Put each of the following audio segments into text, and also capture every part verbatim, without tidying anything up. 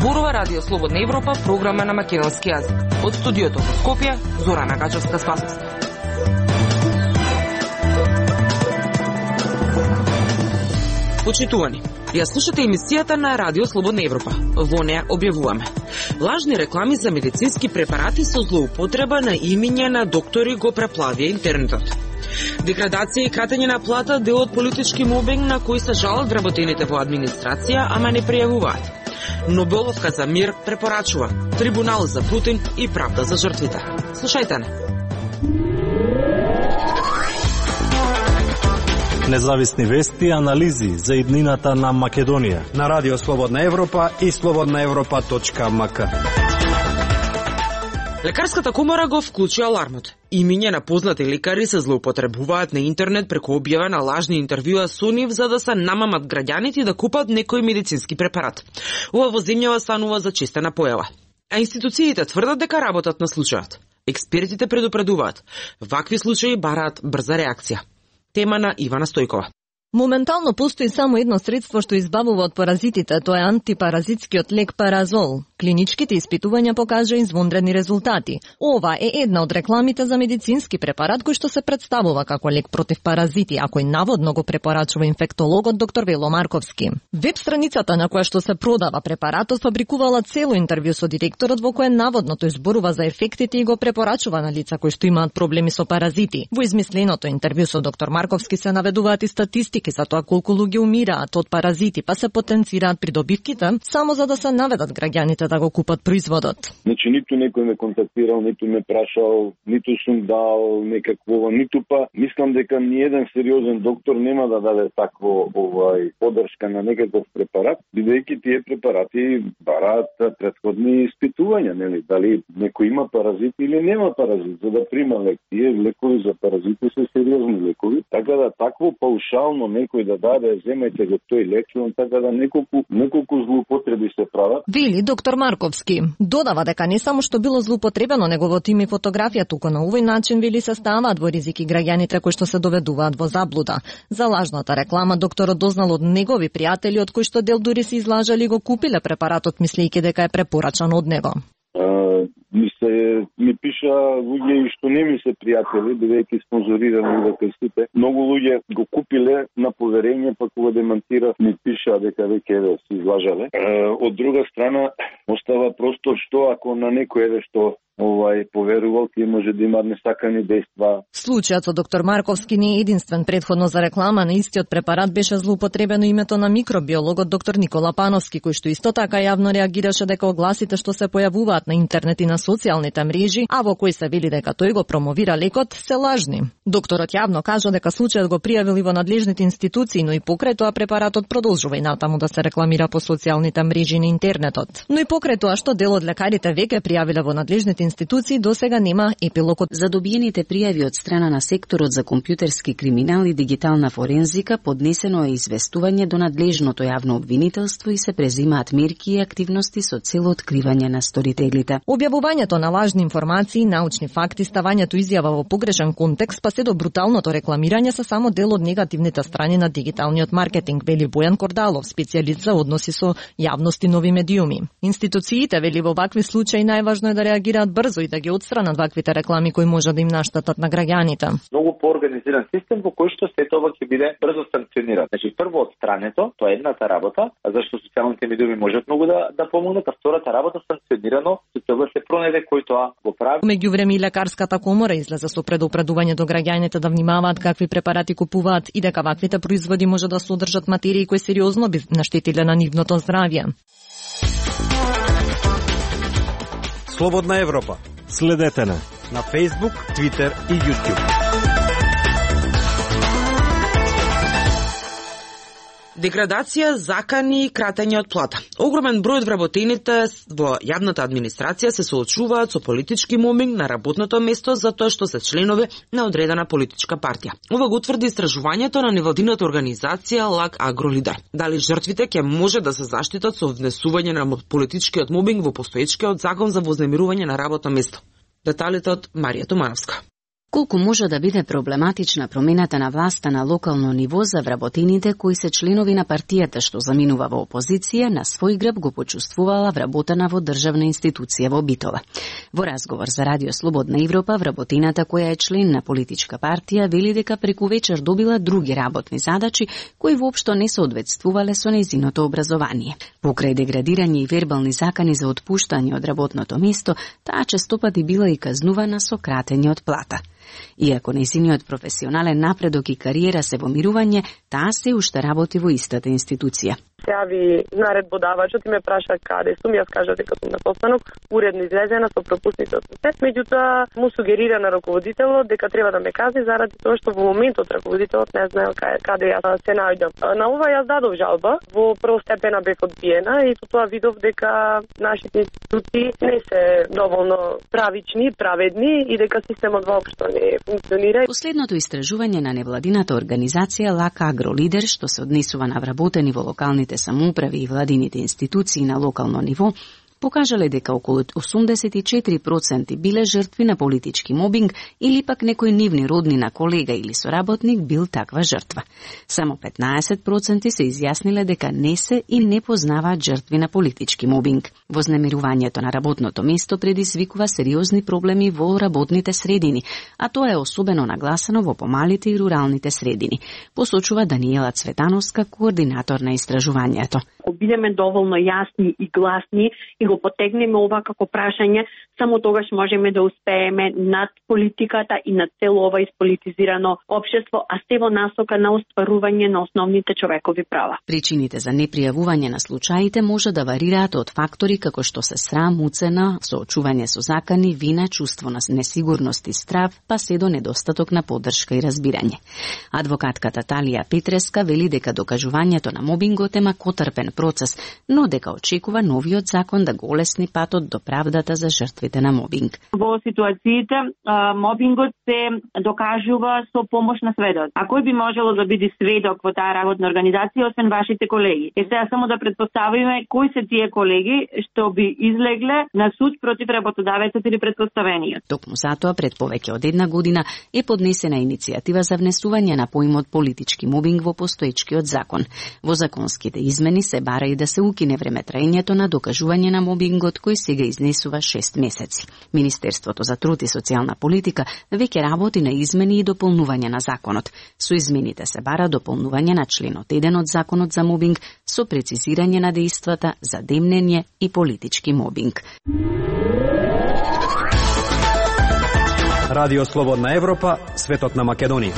Зборува Радио Слободна Европа, програма на македонски јазик. Од студиото во Скопје, Зорана Гачевска-Спасовска. Почитувани, ја слушате емисијата на Радио Слободна Европа. Во неа објавуваме лажни реклами за медицински препарати со злоупотреба на имиња на доктори го преплавија интернетот. Деградација и кратење на плата дел од политички мобинг на кои се жалат вработените во администрација, ама не пријавуваат. Нобеловка за мир препорачува трибунал за Путин и правда за жртвите. Слушајте не. Независни вести и анализи за иднината на Македонија на Радио Слободна Европа и слободна европа точка ем ка. Лекарската комора го вклучи алармот. Имиња на познати лекари се злоупотребуваат на интернет преку објава на лажни интервјуа со нив за да се намамат граѓаните да купат некој медицински препарат. Ова во земјава станува зачестена појава. А институциите тврдат дека работат на случајот. Експертите предупредуваат. Вакви случаи бараат брза реакција. Тема на Ивана Стојкова. Моментално постои само едно средство што избавува од паразитите, тоа е антипаразитскиот лек Паразол. Клиничките испитувања покажа извонредни резултати. Ова е една од рекламите за медицински препарат кој што се представува како лек против паразити, а кој наводно го препорачува инфектологот доктор Вело Марковски. Веб страницата на која што се продава препаратот фабрикувала цело интервју со директорот во кое наводно тој зборува за ефектите и го препорачува на лица кои што имаат проблеми со паразити. Во измисленото интервју со доктор Марковски се наведуваат и статистики за тоа колку луѓе умираат од паразити, па се потенцираат придобивките само за да се наведат граѓаните да го купат производот. Значи ниту некој ме контактирал, ниту ме прашал, ниту сум дал некакво, ниту па мислам дека ни еден сериозен доктор нема да даде такво овај поддршка на некаков препарат, бидејќи тие препарати бараат претходни испитувања, нели, дали некој има паразит или нема паразит, за да прима лек. Тие лекови за паразити се сериозни лекови, така да такво паушално некој да даде, земајте го тој лек, така да неколку неколку злоупотреби се прават. Вели доктор Марковски. Додава дека не само што било злоупотребено неговото име и фотографија, туку на овој начин вели се ставаат во ризики граѓаните кои што се доведуваат во заблуда. За лажната реклама докторот дознал од негови пријатели од кои што дел дури се излажали и го купиле препаратот мислејќи дека е препорачан од него. Uh, ми се ми пиша луѓе и што не ми се пријатели, бидејќи спонзорирани дека сите. Многу луѓе го купиле на поверење, па кога демантирав ми пиша дека веќе еве се излажале. Uh, од друга страна остава простор што ако на некој еве што овај поверувал, тие може да имаат несакани дејства. Случајот со доктор Марковски не е единствен. Предходно за реклама на истиот препарат беше злоупотребено името на микробиологот доктор Никола Пановски, кој што исто така јавно реагираше дека огласите што се појавуваат на интернет и на социјалните мрежи, а во кои се вели дека тој го промовира лекот, се лажни. Докторот јавно кажа дека случајот го пријавил во надлежните институции, но и покрај тоа препаратот продолжува и натаму да се рекламира по социјалните мрежи на интернетот. Но и покрај тоа што дел од лекарите веќе пријавиле во надлежните институции, досега нема епилог. За добиените пријави од страна на секторот за компјутерски криминал и дигитална форензика поднесено е известување до надлежното јавно обвинителство и се презимаат мерки и активности со цел откривање на сторителите. Објавувањето на лажни информации, научни факти, ставањето изјава во погрешен контекст, па се до бруталното рекламирање се само дел од негативните страни на дигиталниот маркетинг, вели Бојан Кордалов, специјалист за односи со јавност и нови медиуми. Институциите, вели, во вакви случаи најважно е да реагираат брзо и да ги отстранат ваквите реклами кои може да им наштетат на граѓаните. Многу поорганизиран систем во кој што сето ова ќе биде брзо санкциониран. Значи прво отстрането, тоа е едната работа, зашто социјалните медиуми можат многу да да помогнат, а втората работа санкционирано со цел да се пронајде кој тоа го прави. Меѓувреме и лекарската комора излезе со предупредување до граѓаните да внимаваат какви препарати купуваат и дека ваквите производи може да содржат материи кои сериозно би наштетиле на нивното здравје. Слободна Европа. Следете на на Facebook, Twitter и YouTube. Деградација, закани и кратење од плата. Огромен број од вработените во јавната администрација се соочуваат со политички мобинг на работното место за тоа што се членови на одредена политичка партија. Ова го утврди истражувањето на невладината организација Лак Агролидер. Дали жртвите ќе може да се заштитат со внесување на политичкиот мобинг во постоечкиот закон за вознемирување на работно место? Деталите од Марија Тумановска. Колку може да биде проблематична промената на власта на локално ниво за вработените кои се членови на партијата што заминува во опозиција, на свој грб го почувствувала вработена во државна институција во Битола. Во разговор за Радио Слободна Европа, вработената која е член на политичка партија вели дека преку вечер добила други работни задачи кои воопшто не соодветствувале со нејзиното образование. Покрај деградирање и вербални закани за отпуштање од работното место, таа честопати била и казнувана со кратење од плата. Иако нејзиниот професионален напредок и кариера се во мирување, таа се уште работи во истата институција. Се јави наредбодавачот и ме праша каде сум, јас кажа дека сум на состанок, уредно излезена со пропусните од се. Меѓутоа му сугерира на раководителот дека треба да ме казни заради тоа што во моментот раководителот не знаел каде, каде јас се наоѓам. На ова јас дадов жалба, во првостепена бев одбиена и со тоа видов дека нашите институции не се доволно правични, праведни и дека системот воопшто не функционира. Последното истражување на невладината организација Лака Агролидер, што се однесува на вработени во локалните самоуправи и владините институции на локално ниво, покажале дека околу осумдесет и четири проценти биле жртви на политички мобинг или пак некој нивни роднина, колега или соработник бил таква жртва. Само петнаесет проценти се изјасниле дека не се и не познаваат жртви на политички мобинг. Вознемирувањето на работното место предизвикува сериозни проблеми во работните средини, а тоа е особено нагласено во помалите и руралните средини, посочува Даниела Цветановска, координатор на истражувањето. Ако бидеме доволно јасни и гласни и го потегнеме ова како прашање, само тогаш можеме да успееме над политиката и над цело ова исполитизирано општество, а се во насока на остварување на основните човекови права. Причините за непријавување на случаите може да варираат од фактори како што се срам, уцена, соочување со закани, вина, чувство на несигурност и страв, па се до недостаток на поддршка и разбирање. Адвокатката Талија Петреска вели дека докажувањето на мобингот е макотрпен процес, но дека очекува новиот закон да го олесни патот до правдата за жртвите на мобинг. Во ситуациите мобингот се докажува со помош на сведок. А кој би можело да биде сведок во таа работна организација освен вашите колеги? Е сега само да претпоставиме кои се тие колеги што би излегле на суд против работодавецот или претпоставениот. Токму затоа пред повеќе од една година е поднесена иницијатива за внесување на поимот политички мобинг во постоечкиот закон. Во законските измени се бара и да се укине времетраењето на докажување на мобингот кој сега изнесува шест месеци. Министерството за труд и социјална политика веќе работи на измени и дополнување на законот. Со измените се бара дополнување на членот еден од законот за мобинг со прецизирање на дејствата за демнење и политички мобинг. Радио Слободна Европа, светот на Македонија.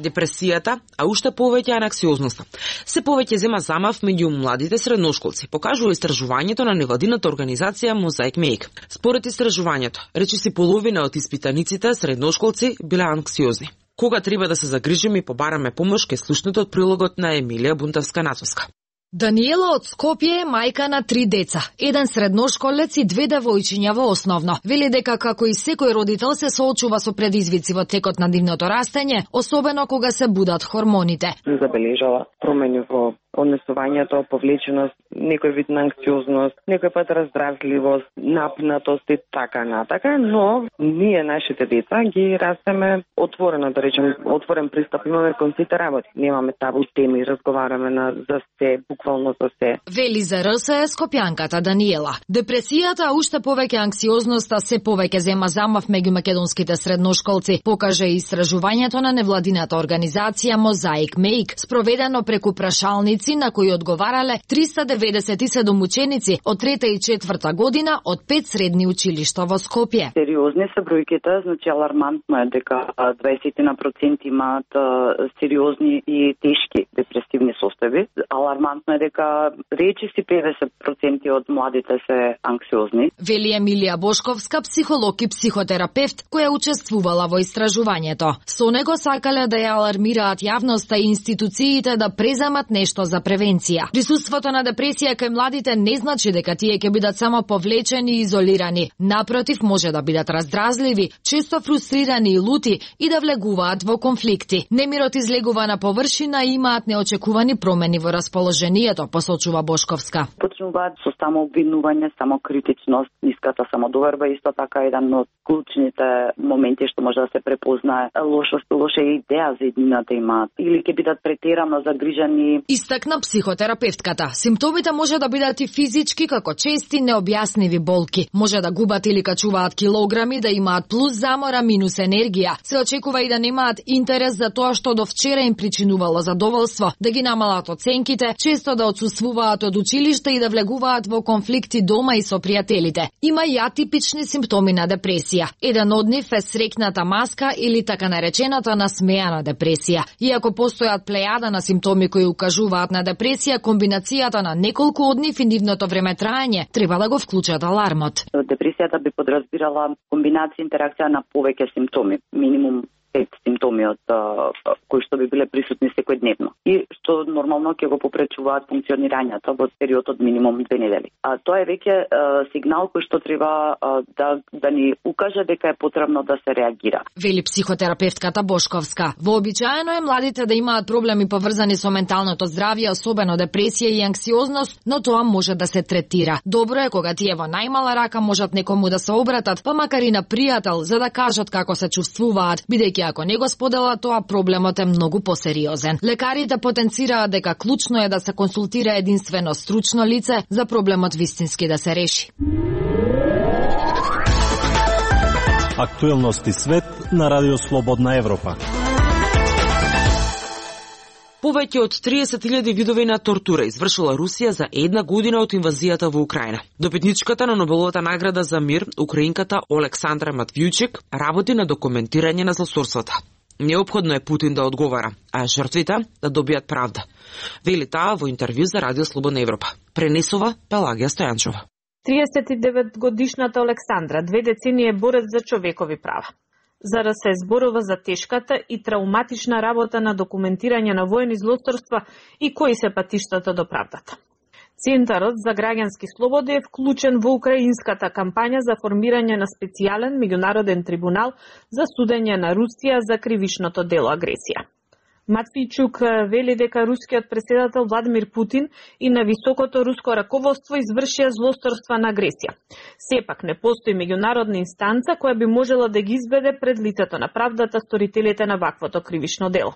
Депресијата, а уште повеќе анксиозноста. Се повеќе зема замав меѓу младите средношколци, покажува истражувањето на невладината организација Mosaic Make. Според истражувањето, речиси половина од испитаниците средношколци биле анксиозни. Кога треба да се загрижиме и побараме помош, ке слушнете од прилогот на Емилија Бунтовска-Нацовска. Даниела од Скопје е мајка на три деца, еден средношколец и две девојчиња во основно. Вели дека како и секој родител се соочува со предизвици во текот на нивното растење, особено кога се будат хормоните. Забележала промени во однесувањето, повлеченост, некој вид на анксиозност, некој пат раздражливост, напнатост и така натака, но ние нашите деца ги растеме отворено, да речем, отворен пристап имаме кон сите работи. Немаме табу теми, разговараме на за се, буквално за се. Вели за РС е скопјанката Даниела. Депресијата, а уште повеќе анксиозноста се повеќе зема замав меѓу македонските средношколци, покаже и истражувањето на невладината организација Mosaic Make, спроведено преку прашалници на кои одговарале триста деветдесет и седум ученици од трета и четврта година од пет средни училишта во Скопје. Сериозни се бројките, значи алармантно е дека дваесет на проценти имаат сериозни и тешки депресивни состојби. Алармантно е дека речиси педесет проценти од младите се анксиозни. Вели Емилија Бошковска, психолог и психотерапевт, која учествувала во истражувањето. Со него сакале да ја алармираат јавноста и институциите да преземат нешто за превенција. Присуството на депресија кај младите не значи дека тие ќе бидат само повлечени и изолирани. Напротив, може да бидат раздразливи, често фрустрирани и лути и да влегуваат во конфликти. Немирот излегува на површина и имаат неочекувани промени во расположението, посочува Бошковска. Почнуваат со само обвинување, само критичност, ниската самодоверба, исто така еден од клучните моменти што може да се препознае. Лошост, лоша идеја за еднината имаат или ќе бидат претерано загрижани. Истакна психотерапевтката. Симптомите може да бидат и физички, како чести необјасневи болки. Може да губат или качуваат килограми, да имаат плюс замора, минус енергија. Се очекува и да немаат интерес за тоа што до вчера им причинувало задоволство, да ги намалат оценките, често да отсуствуваат од училиште и да влегуваат во конфликти дома и со пријателите. Има и атипични симптоми на депресија. Еден од нив е срекната маска или така наречената насмејана депресија. Иако постојат плејада на симптоми кои укажуваат на депресија, комбинацијата на неколку од нив и нивното време траење треба да го вклучат алармот. Депресијата би подразбирала комбинација интеракција на повеќе симптоми, минимум пет симптоми од кои што би биле присутни секојдневно и што нормално ќе го попречуваат функционирањето во период од минимум две недели. А тоа е веќе сигнал кој што треба да да ни укаже дека е потребно да се реагира. Вели психотерапевтката Бошковска. Вообичаено е младите да имаат проблеми поврзани со менталното здравје, особено депресија и анксиозност, но тоа може да се третира. Добро е кога тие во најмала рака можат некому да се обратат, па макар и на пријател, за да кажат како се чувствуваат, бидејќи ако не го споделат тоа, проблемот е многу посериозен. Лекарите потенцираат дека клучно е да се консултира единствено стручно лице за проблемот вистински да се реши. Актуелности свет на Радио Слободна Европа. Повеќе од триесет илјади видови на тортура извршила Русија за една година од инвазијата во Украина. Добитничката на Нобеловата награда за мир, украинката Олександра Матвијчик, работи на документирање на злосторствата. Неопходно е Путин да одговара, а жртвите да добијат правда. Вели таа во интервју за Радио Слободна Европа. Пренесува Пелагија Стојанчова. триесет и девет годишната Олександра две децении е борец за човекови права. За да се зборува за тешката и трауматична работа на документирање на воени злосторства и кои се патиштата до правдата. Центарот за граѓански слободи е вклучен во украинската кампања за формирање на специјален меѓународен трибунал за судење на Русија за кривичното дело агресија. Матвијчук вели дека рускиот претседател Владимир Путин и на високото руско раководство извршија злосторства на агресија. Сепак не постои меѓународна инстанца која би можела да ги изведе пред лицето на правдата сторителите на ваквото кривично дело.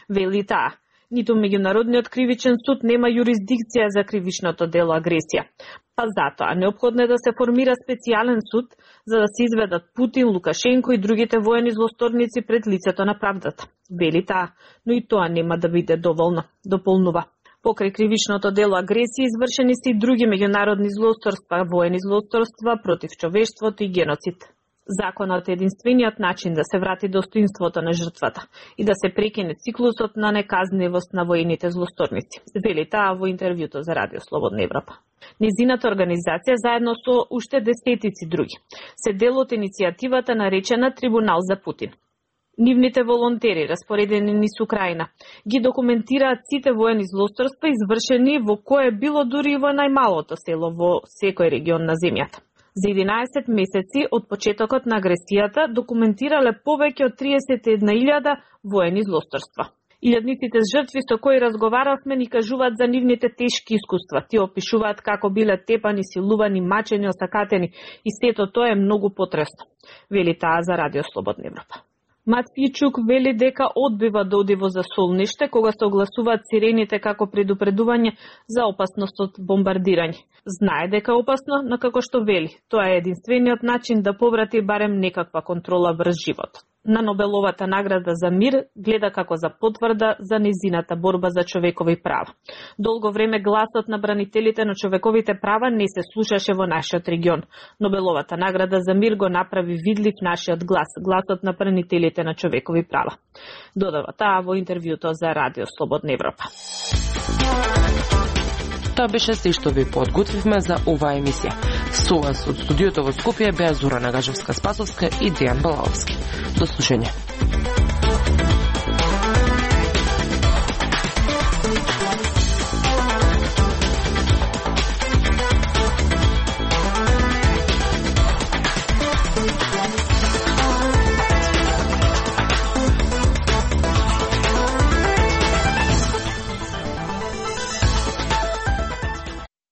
Вели таа, ниту меѓународниот кривичен суд нема юрисдикција за кривичното дело агресија. Па затоа неопходно е да се формира специјален суд за да се изведат Путин, Лукашенко и другите воени злосторници пред лицето на правдата. Вели таа, но и тоа нема да биде доволно, дополнува. Покрај кривичното дело агресија извршени се и други меѓународни злосторства, воени злосторства против човештвото и геноцид. Законот е единствениот начин да се врати достоинството на жртвата и да се прекине циклусот на неказнивост на воените злосторници. Вели таа во интервјуто за Радио Слободна Европа. Низината организација заедно со уште десетици други се дел од иницијативата наречена Трибунал за Путин. Нивните волонтери, распоредени низ Украина, ги документираат сите воени злосторства извршени во кое било дури во најмалото село во секој регион на земјата. За единаесет месеци од почетокот на агресијата документирале повеќе од триесет и една илјада воени злосторства. Илјадниците жртви со кои разговаравме ни кажуваат за нивните тешки искуства. Ти опишуваат како биле тепани, силувани, мачени, осакатени и сето тоа е многу потресно. Вели таа за Радио Слободна Европа. Матвијчук вели дека одбива да оди во засолниште кога се огласуваат сирените како предупредување за опасност од бомбардирање. Знае дека е опасно, но како што вели, тоа е единствениот начин да поврати барем некаква контрола врз животот. На Нобеловата награда за мир гледа како за потврда за незината борба за човекови права. Долго време гласот на бранителите на човековите права не се слушаше во нашиот регион. Нобеловата награда за мир го направи видлив нашиот глас, гласот на бранителите на човекови права. Додава таа во интервјуто за Радио Слободна Европа. Тоа беше се што ви подготвивме за оваа емисија. Со вас од студиото во Скопје беа Зора Нагажевска-Спасовска и Дејан Балаовски. До слушање.